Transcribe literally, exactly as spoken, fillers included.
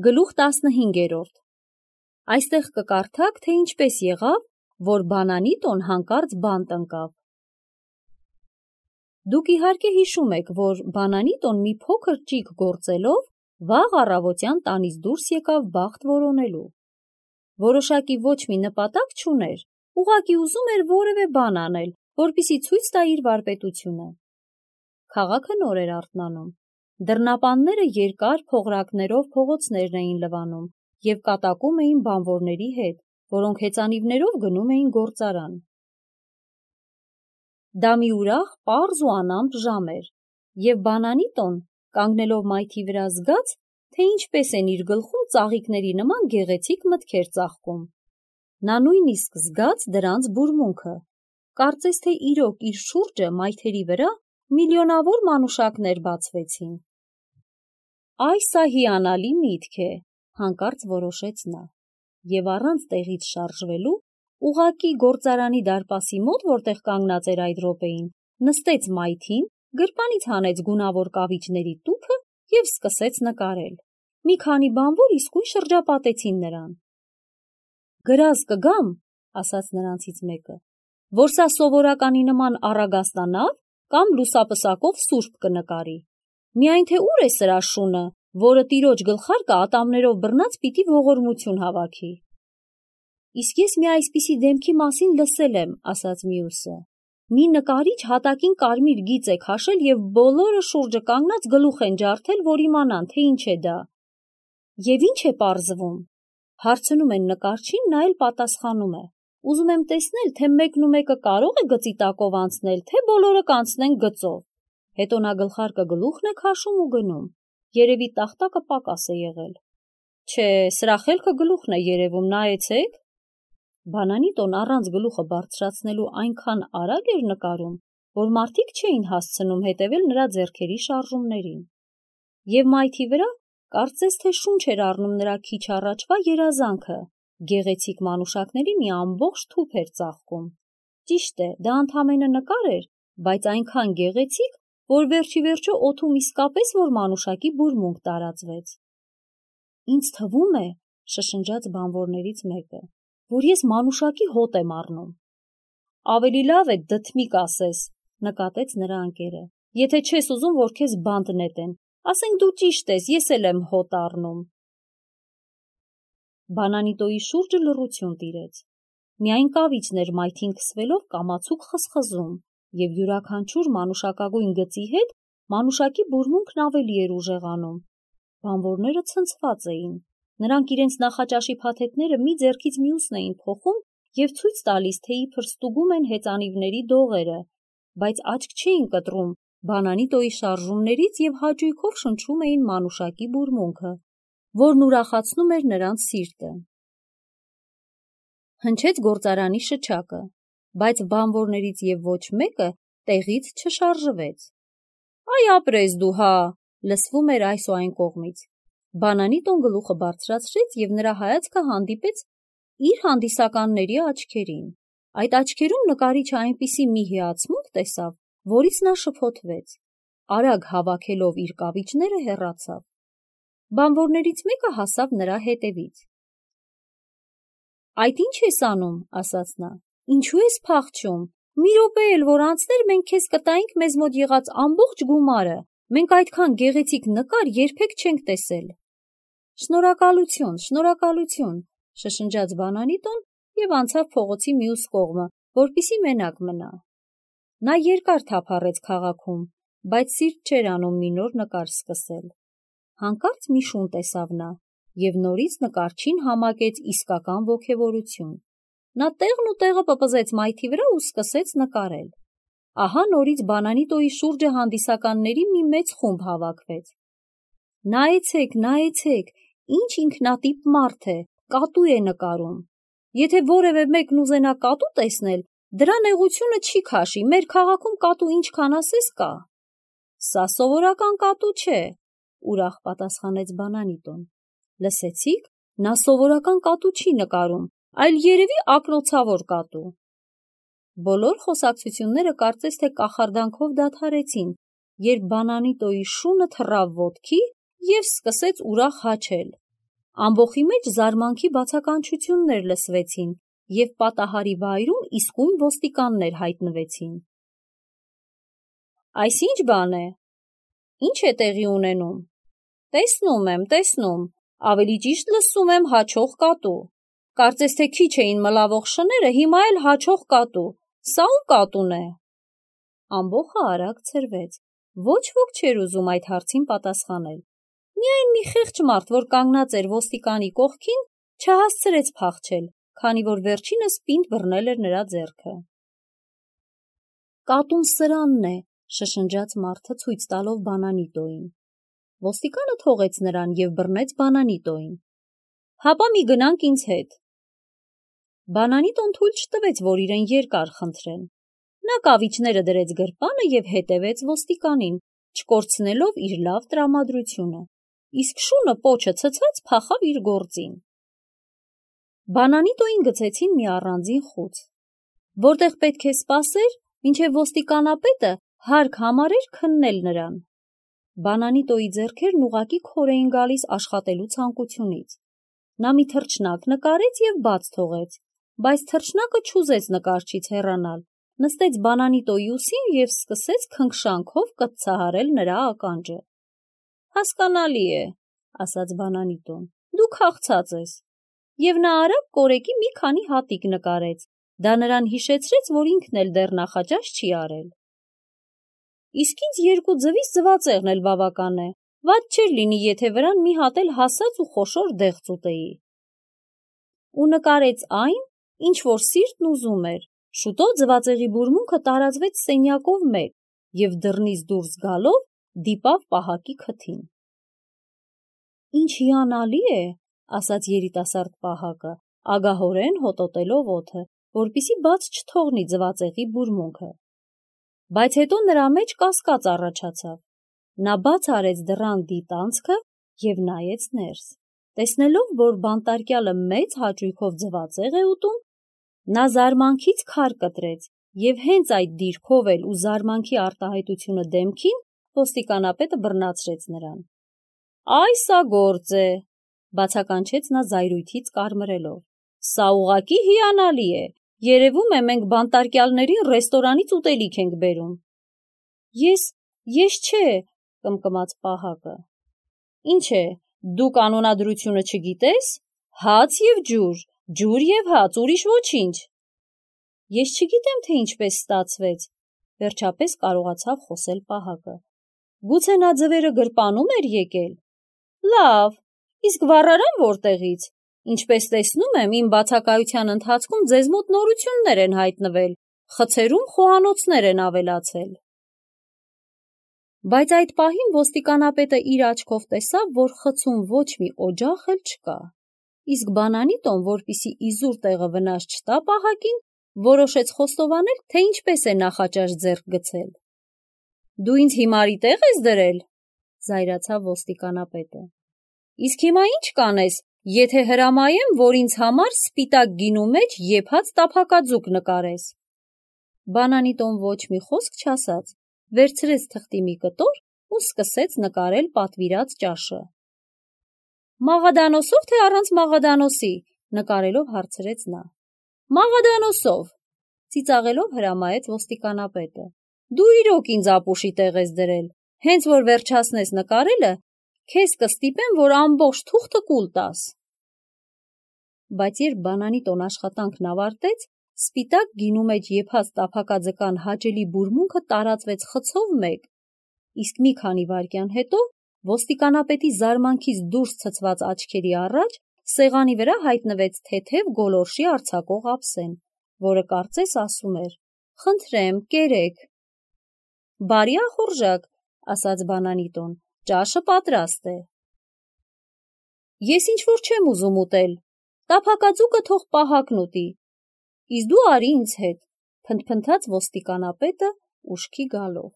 Գլուխ տասնհինգերորդ Այստեղ կկարդաք, թե ինչպես եղավ, որ բանանիտոն հանկարծ բանտ ընկավ։ Դուք իհարկե հիշում եք, որ բանանիտոն մի փոքր ճիգ գործելով վաղ առավոտյան տանից դուրս եկավ բախտ որոնելու։ Որոշակի ոչ մի նպատակ չուներ, ուղղակի ուզում էր որևէ բան անել, որպեսզի ցույց տա իր վարպետությունը։ Քաղաքը նոր էր արթնանում։ Դռնապանները երկար փողրակներով փողոցներն էին լվանում և կատակում էին բանվորների հետ, որոնք հեծանիվներով գնում էին գործարան։ Դա մի ուրախ, պարզ ու անամպ ժամ էր, և բանանիտոն, կանգնելով մայթի վրա զգաց, թե ինչպես են իր գլխում ծաղիկների նման գեղեցիկ մտքեր ծաղկում։ Նա նույնիսկ զգաց դրանց բուրմունքը, կարծես թե իրոք իր շուրջը մայթերի վրա միլիոնավոր մանուշակներ բացվեցին։ Այ սա հիանալի միտք է, հանկարծ որոշեց նա, և առանց տեղից շարժվելու, ուղղակի գործարանի դարպասի մոտ, որտեղ կանգնած էր այդ րոպեին, նստեց մայթին, գրպանից հանեց գունավոր կավիճների տուփը և սկսեց նկարել։ Մի քանի բանվոր իսկույն շրջապատեցին նրան։ «Գրազ կգամ», ասաց նրանցից մեկը, «որ սա սովորականի նման առագաստանավ կամ լուսապսակով սուրբ կնկարի։ Միայն թե ուր է սրա շունը, որը տիրոջ գլխարկը ատամներով բռնած պիտի ողորմություն հավաքի»։ «Իսկ ես մի այսպիսի դեմքի մասին լսել եմ», ասաց մյուսը։ «Մի նկարիչ հատակին կարմիր գիծ է քաշել և բոլորը շուրջը կանգնած գլուխ են ջարդել, որ իմանան, թե ինչ է դա»։ «Եվ ի՞նչ է պարզվում», հարցնում են նկարչին, նա էլ պատասխանում է. «Ուզում եմ տեսնել, թե մեկն ու մեկը կարող է գծի տակով անցնել, թե բոլորը կանցնեն գծով»։ Հետո նա գլխարկը գլուխն է քաշում ու գնում։ Երևի տախտակը պակաս է եղել։ «Չէ, սրա խելքը գլուխն է երևում, նայեցեք»։ Բանանիտոն առանց գլուխը բարձրացնելու այնքան արագ էր նկարում, որ մարդիկ չէին հասցնում հետևել նրա ձեռքերի շարժումներին։ Եվ մայթի վրա կարծես թե շունչ էր առնում նրա քիչ առաջվա երազանքը, գեղեցիկ մանուշակների մի ամբողջ թուփ էր ծաղկում։ Ճիշտ է, դա ընդամենը նկար էր, բայց այնքան գեղեցիկ, որ վերջիվերջո օդում իսկապես որ մանուշակի բուրմունք տարածվեց։ «Ինձ թվում է», շշնջաց բանվորներից մեկը, «որ ես մանուշակի հոտ եմ առնում»։ «Ավելի լավ է դդմիկ ասես», նկատեց նրա ընկերը, «եթե չես ուզում, որ քեզ բանտ նետեն, ասենք դու ճիշտ ես, ես էլ եմ հոտ առնում»։ Բանանիտոյի շուրջը լռություն տիրեց։ Միայն կավիճն էր մայթին քսվելով կամացուկ խզխզում, և յուրաքանչյուր մանուշակագույն գծի հետ մանուշակի բուրմունքն ավելի էր ուժեղանում։ Բանվորները ցնցված էին։ Նրանք իրենց նախաճաշի փաթեթները մի ձեռքից մյուսն էին փոխում և ցույց տալիս, թե իբր ստուգում են հեծանիվների դողերը, բայց աչք չէին կտրում բանանիտոյի շարժումներից և հաճույքով շնչում էին մանուշակի բուրմունքը, որն ուրախացնում էր նրանց սիրտը։ Հնչեց գործարանի շչակը, բայց բանվորներից և ոչ մեկը տեղից չշարժվեց։ «Այ ապրես դու, հա», լսվում էր այս ու այն կողմից։ Բանանիտոն գլուխը բարձրացրեց և նրա հայացքը հանդիպեց իր հանդիսականների աչքերին։ Այդ աչքերում նկարիչը այնպիսի մի հիացմունք տեսավ, որից նա շփոթվեց։ Արագ հավաքելով իր կավիճները հեռացավ։ Բանվորներից մեկը հասավ նրա հետևից։ «Այդ ի՞նչ ես անում», ասաց նա, «ինչու ես փախչում։ Մի րոպե էլ որ անցներ, մենք քեզ կտայինք մեզ մոտ եղած ամբողջ գումարը, մենք այդքան գեղեցիկ նկար երբեք չենք տեսել»։ «Շնորհակալություն, շնորհակալություն», շշնջաց Բանանիտոն և անցավ փողոցի մյուս կողմը, որպեսզի մենակ մնա։ Նա երկար թափառեց քաղաքում, բայց սիրտ չէր անում մի նոր նկար սկսել։ Հանկարծ մի շուն տեսավ նա, և նորից նկարչին համակեց իսկական ոգևորություն։ Նա տեղն ու տեղը պպզեց մայթի վրա ու սկսեց նկարել։ Ահա նորից Բանանիտոյի շուրջը հանդիսականների մի մեծ խումբ հավաքվեց։ «Նայեցեք, նայեցեք, ինչ ինքնատիպ մարդ է, կատու է նկարում։ Եթե որևէ մեկն ուզենա կատու տեսնել, դրա նեղությունը չի քաշի, մեր քաղաքում կատու ինչքան ասես կա»։ «Սա սովորական կատու չէ», ուրախ պատասխանեց Բանանիտոն։ «Լսեցի՞ք, նա սովորական կատու չի նկարում, այլ երևի ակնոցավոր կատու»։ Բոլոր խոսակցությունները կարծես թե կախարդանքով դադարեցին, երբ Բանանիտոյի շունը թռավ ոտքի և սկսեց ուրախ հաչել։ Ամբոխի մեջ զարմանքի բացականչություններ լսվեցին և պատահարի վայրում իսկույն ոստիկաններ հայտնվեցին։ Այս ինչ բան է, ինչ է տեղի ունենում։ Տեսնում եմ, տեսնում, ավելի ճիշտ լսում եմ հաչող կատու։ Կարծես թե քիչ էին մլավող շները, հիմա էլ հաչող կատու, սա ում կատուն է։ Ամբոխը արագ ցրվեց, ոչ ոք չէր ուզում այդ հարցին պատասխանել։ Միայն մի խեղճ մարդ, որ կանգնած էր ոստիկանի կողքին, չհասցրեց փախչել, քանի որ վերջինս պինդ բռնել էր նրա ձեռքը։ Կատուն սրանն է, շշնջաց մարդը ցույց տալով Բանանիտոյին։ Ոստիկանը թողեց նրան և բռնեց Բանանիտոյին։ Հապա մի գնանք ինձ հետ։ Բանանիտոն թույլ չտվեց, որ իրեն երկար խնդրեն։ Նա կավիճները դրեց գրպանը և հետևեց ոստիկանին, չկորցնելով իր լավ տրամադրությունը, իսկ շունը պոչը ցցած փախավ իր գործին։ Բանանիտոյին գցեցին մի առանձին խուց, որտեղ պետք է սպասեր, մինչև ոստիկանապետը հարկ համարեր քննել նրան։ Բանանիտոյի ձեռքերն ուղղակի քոր էին գալիս աշխատելու ցանկությունից։ Նա մի թռչնակ նկարեց և բաց թողեց, բայց թռչնակը չուզեց նկարչից հեռանալ, նստեց Բանանիտոյի ուսին և սկսեց քնքշանքով կծցահարել նրա ականջը։ Հասկանալի է, ասաց Բանանիտոն, դու քաղցած ես։ Եվ նա արագ կորեկի մի քանի հատիկ նկարեց, դա նրան հիշեցրեց, որ ինքն էլ դեռ նախաճաշ չի արել։ Իսկ ինձ երկու ձվից ձվածեղն էլ բավական է, վատ չէր լինի, եթե վրան մի հատ էլ հասած ու խոշոր դեղց ուտեի։ Ու նկարեց այն, ինչ որ սիրտն ուզում էր։ Շուտով ձվածեղի բուրմունքը տարածվեց սենյակով մեկ և դռնից դուրս գալով դիպավ պահակի քթին։ Ինչ հիանալի է, ասաց երիտասարդ պահակը, ագահորեն հոտոտելով օդը, որպեսզի բաց չթողնի ձվածեղի բուրմունքը։ Բայց հետո նրա մեջ կասկած առաջացավ։ Նա բաց արեց դռան դիտանցքը և նայեց ներս։ Տեսնելով, որ բանտարկյալը մեծ հաճույքով ձվածեղ է ուտում, նա զարմանքից քար կտրեց և հենց այդ դիրքով էլ ու զարմանքի արտահայտությունը դեմքին ոստիկանապետը բռնացրեց նրան։ Այ սա գործ է, բացականչեց նա զայրույթից կարմրելով։ Սա ուղղակի հիանալի է։ Երևում է, մենք բանտարկյալներին ռեստորանից ուտելիք ենք բերում։ Ես, ես չէ, կմկմաց պահակը։ Ինչ է, դու կանոնադրությունը չգիտես։ Հաց և ջուր, ջուր և հաց, ուրիշ ոչինչ։ Ես չգիտեմ, թե ինչպես ստացվեց, վերջապես կարողացավ խոսել պահակը։ Գուցե նա ձվերը գրպանում էր եկել։ Լավ, իսկ վառարան որտեղից։ Ինչպես տեսնում եմ, իմ բացակայության ընթացքում ձեզ մոտ նորություններ են հայտնվել, խցերում խոհանոցներ են ավելացել։ Բայց այդ պահին ոստիկանապետը իր աչքով տեսավ, որ խցում ոչ մի օջախ էլ չկա։ Իսկ Բանանիտոն, որպեսզի իզուր տեղը վնաս չտա պահակին, որոշեց խոստովանել, թե ինչպես է նախաճաշ ձեռք գցել։ Դու ինձ հիմարի տեղ ես դրել, զայրացավ ոստիկանապետը։ Իսկ հիմա ինչ կանես, եթե հրամայեմ, որ ինձ համար սպիտակ գինու մեջ եփած տափակաձուկ նկարես։ Բանանիտոն ոչ մի խոսք չասաց, վերցրեց թղթի մի կտոր ու սկսեց նկարել պատվիրած ճաշը։ Մաղադանոսով, թե առանց մաղադանոսի, նկարելով հարցրեց նա։ Մաղադանոսով, ծիծաղելով հրամայեց ոստիկանապետը։ Դու իրոք ինձ ապուշի տեղ ես դրել, հենց որ վերջացնես նկարելը, քեզ կստիպեմ, որ ամբողջ թուղթը կուլ տաս։ Բայց երբ Բանանիտոն աշխատանքն ավարտեց, սպիտակ գինու մեջ եփած տափակաձկան հաճելի բուրմունքը տարածվեց խցով մեկ, իսկ մի քանի վայրկյան հետո ոստիկանապետի զարմանքից դուրս ցցված աչքերի առաջ սեղանի վրա հայտնվեց թեթև գոլորշի արձակող ափսեն, որը կարծես ասում էր. Խնդրեմ, կերեք։ Բարի ախորժակ, ասաց Բանանիտոն, ճաշը պատրաստ է։ Ես ինչ-որ չեմ ուզում ուտել, տափակաձուկը թող պահակն ուտի, իսկ դու արի ինձ հետ, փնթփնթաց ոստիկանապետը ուշքի գալով։